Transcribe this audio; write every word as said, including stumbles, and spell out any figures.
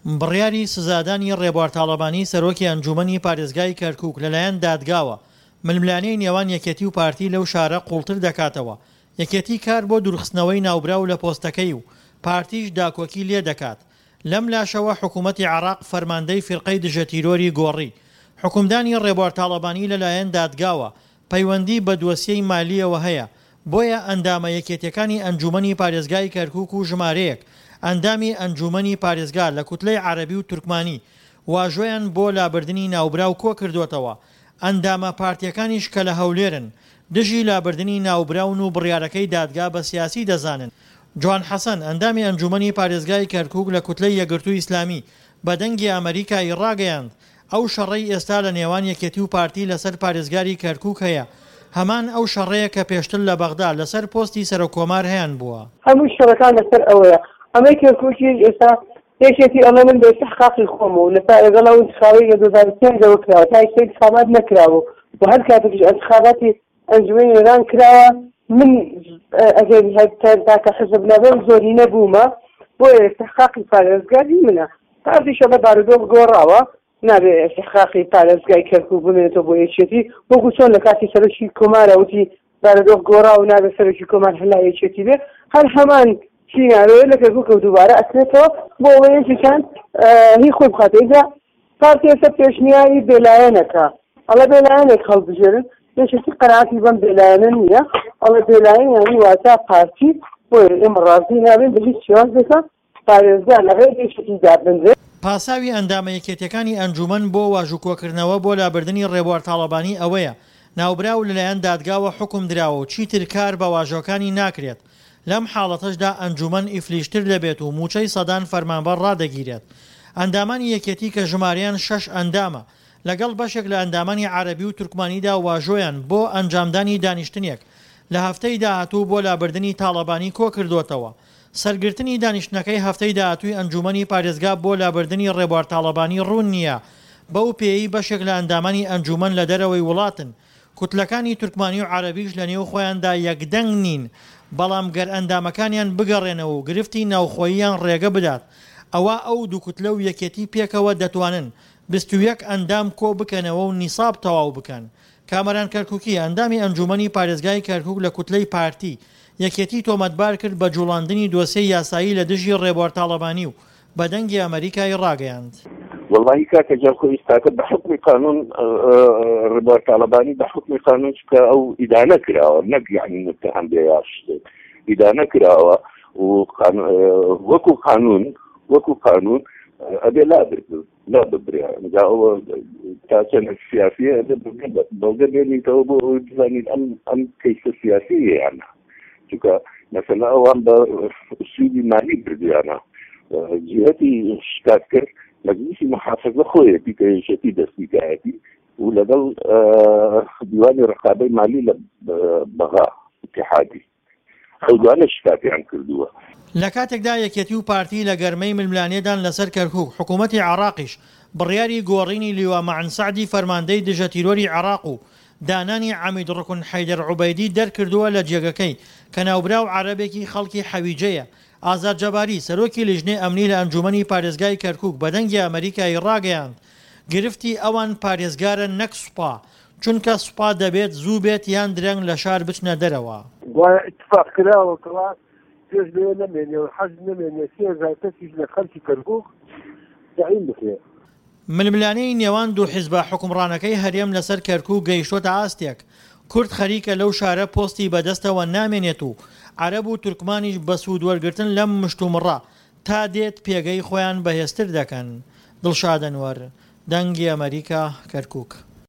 بڕیاری سزادانی ڕێبوار تاڵەبانی سەرۆکی ئەنجوومەنی پارێزگای کەرکووک لەلایەن دادگاوە، ململانێی نێوان یەکێتی و پارتی لەو شارە قووڵتر دەکاتەوە، یەکێتی کار بۆ دوورخستنەوەی ناوبراو لە پۆستەکەی و پارتیش داکۆکی لێدەکات. لەم لاشەوە حکوومەتی عێراق فەرماندەی فیرقەی دژەتیرۆری گۆڕی. حوکمدانی ڕێبوار تاڵەبانی لەلایەن دادگاوە پەیوەندی بە دۆسیەی مالییەوە هەیە، بۆیە ئەندامە یەکێتیەکانی ئەنجوومەنی پارێزگای کەرکووک و ژمارەیەک ئەندامی ئەنجوومەنی پارێزگا لە کوتلەی عەرەبی و تورکمانی واژۆیان بۆ لابردنی ناوبراو کۆکردۆتەوە، ئەندامە پارتیەکانیش کە لە هەولێرن دژی لابردنی ناوبراون و بڕیارەکەی دادگا بە سیاسی دەزانن. جوان حەسەن، ئەندامی ئەنجوومەنی پارێزگای کەرکووک لە کوتلەی یەکگرتووی ئیسلامی بە دەنگی ئەمەریکا ی ڕاگەیاند، ئەو شەڕەی ئێستا لە نێوان یەکێتی و پارتی لەسەر پارێزگاری کەرکووک هەیە، هەمان ئەو شەڕەیە کە پێشتر لە بەغدا لەسەر پۆستی سەرۆککۆمار هەیانبووە. هەموو شەڕەکان لەسەر ئەوەیە. ئەمەی کەرکووکیش ئێستا یەکێتی ئەڵێ من بە ئیستحقاقی خۆم و لەسەر لەگەڵ ئەو ئینتخابەی لە دوو هەزار و پێنج ەوە کراوە تا ئێستا ئینتخابات نەکراوە و هەر کاتێکیش ئینتخاباتی ئەنجومەنی نوێنەران کراوە من ئەگەر هەر تاکە حزب نەبم زۆرینە بوومە، بۆیە ئیستحقاقی پارێزگار هی منە. پارتیش ئەڵێ بارودۆخ گۆڕاوە نابێ ئیستحقاقی پارێزگای کەرکووک بمێنێتەوە بۆ یەکێتی، وەکو چۆن لە کاتی سەرۆکی کۆمارە وتی بارودۆخ گۆڕاوە نابێ سەرۆکی کۆمار هەر لای یەکێتی بێ، هەر هەمان سیناریۆیە لە کەرکووکەوە دووبارە ئەکرێتەوە بۆ ئەوەی یەکێکیان هی خۆی بخاتەوە. ئینجا پارتی ئێستا پێشنیاری بێلایەنەکە ئەڵێ بێلایەنێک هەڵبژێرن، یەکێتی قەناعەتی بەم بێلایەنە نییە، ئەڵێ بێلایەن یانی واتا پارتی، بۆیە ئێمە ڕازی نابین بە هیچ شێوازێکە پارێزگا لە غەیری یەکێتی دابنرێت. پاساوی ئەندامە یەکێتیەکانی ئەنجوومەن بۆ واژووکۆکردنەوە بۆ لابردنی ڕێبوار تاڵەبانی ئەوەیە، ناوبراو لەلایەن دادگاوە حوکم دراوە و چیتر کار بە واژۆکانی ناکرێت، لەم حاڵەتەشدا ئەنجوومەن ئیفلیجتر دەبێت و مووچەی سەدان فەرمانبەر ڕادەگیرێت. ئەندامانی یەکێتی کە ژمارەیان شەش ئەندامە، لەگەڵ بەشێک لە ئەندامانی عەرەبی و تورکمانیدا واژۆیان بۆ ئەنجامدانی دانیشتنێک لە هەفتەی داهاتوو بۆ لابردنی تاڵەبانی کۆکردۆتەوە. سەرگرتنی دانیشتنەکەی هەفتەی داهاتووی ئەنجوومەنی پارێزگا بۆ لابردنی ڕێبوار تاڵەبانی ڕوون نییە، بەو پێیەی بەشێک لە ئەندامانی ئەنجوومەن لە دەرەوەی وڵاتن، کوتلەکانی تورکمانی و عەرەبیش لە نێو خۆیاندا یەکدەنگ نین، بەڵام گەر ئەندامەکانیان بگەڕێنەوە و گرفتی ناوخۆییان ڕێگە بدات، ئەوا ئەو دوو کوتلە و یەکێتی پێکەوە دەتوانن بیست و یەک ئەندام کۆ بکەنەوە و نیساب تەواو بکەن. کامەران کەرکوکی، ئەندامی ئەنجوومەنی پارێزگای کەرکوک لە کوتلەی پارتی، یەکێتی تۆمەتبار کرد بە جوڵاندنی دۆسیەی یاسایی لە دژی ڕێبوار تاڵەبانی و بە دەنگی ئەمەریکای ڕاگەیاند. وەڵاهی کاکە گیان خۆ ئیستاکە بە حوکمی قانون ڕێبوار تاڵەبانی بە حوکمی قانون چونکە ئەو ئیدانە کراوە نەک یعنی متهم بێ یا شتێک ئیدانە کراوە و وەکو قانون وەکو قانون ئەبێ لا لا ببرێ جا ئەوە تا چەند سیاسیە ئەبێ بەڵگە بێنیتەوە بۆ ئەوەی بزانین ئەم ئەم کەیسە سیاسیە یان نا چونکە مەسەلە ئەوان بە ئوسولی مالی بردویانە جهتی شکات کرد مەجلیسی محافظە خۆیەتی کە یەکێتی دەستی کایەتی و لەگەڵ دیوانی ڕقابەی مالی لە بەغا اتحادی ئەو دوانە شکاتیان کردووە. لە کاتێکدا یەکێتی و پارتی لە گەرمەی ململانێدان لەسەر کەرکوک، حکومەتی عێراقیش بڕیاری گۆڕینی لیوا مەعن سەعدی فەرماندەی دژە تیرۆری عێراق و دانانی عەمید ڕوکن حەیدەر عوبەیدی دەرکردووە لە جێگەکەی کە ناوبراو عەرەبێکی خەڵکی حەویجەیە. ئازاد جەباری، سەرۆکی لیژنەی ئەمنی لە ئەنجومەنی پارێزگای کەرکوک بە دەنگی ئەمەریکای ڕاگەیاند، گرفتی ئەوان پارێزگارە نەک سوپا، چونکە سوپا دەبێت زوو بێت یان درەنگ لە شار بچنە دەرەوە. گوایە ئیتفاق کراوە کەوا پێش لەوێ نەمێنێ و حەشد نەمێنێ سێ هەزار کەسیش لە خەڵکی کەرکوک تەعین بکرێ. ململانێی نێوان دوو حیزبە حوکمڕانەکەی هەرێم لەسەر کەرکوک گەیشتۆتە ئاستێک، کورد خەریکە لەو شارە پۆستی بەدەستەوە نامێنێت و عەرەب و تورکمانیش بە سوود وەرگرتن لەم مشتومڕە تا دێت پێگەی خۆیان بەهێزتر دەکەن. دڵشاد ئەنوەر، دەنگی ئەمەریکا، کەرکوک.